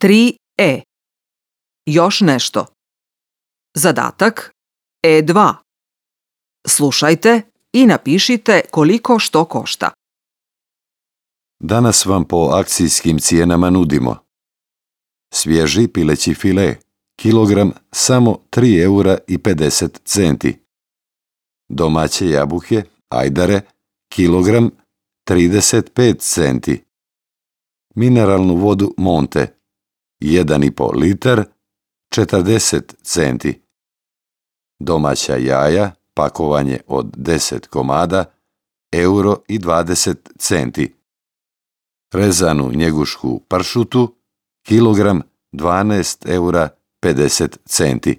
3E. Još nešto. Zadatak E2. Slušajte i napišite koliko što košta. Danas vam po akcijskim cijenama nudimo svježi pileći file, kilogram samo 3,50 €. Domaće jabuke, ajdare, kilogram 35 centi. Mineralnu vodu Monte, 1,5 litar, 40 centi. Domaća jaja, pakovanje od 10 komada, 1,20 €. Rezanu njegušku pršutu, kilogram 12,50 €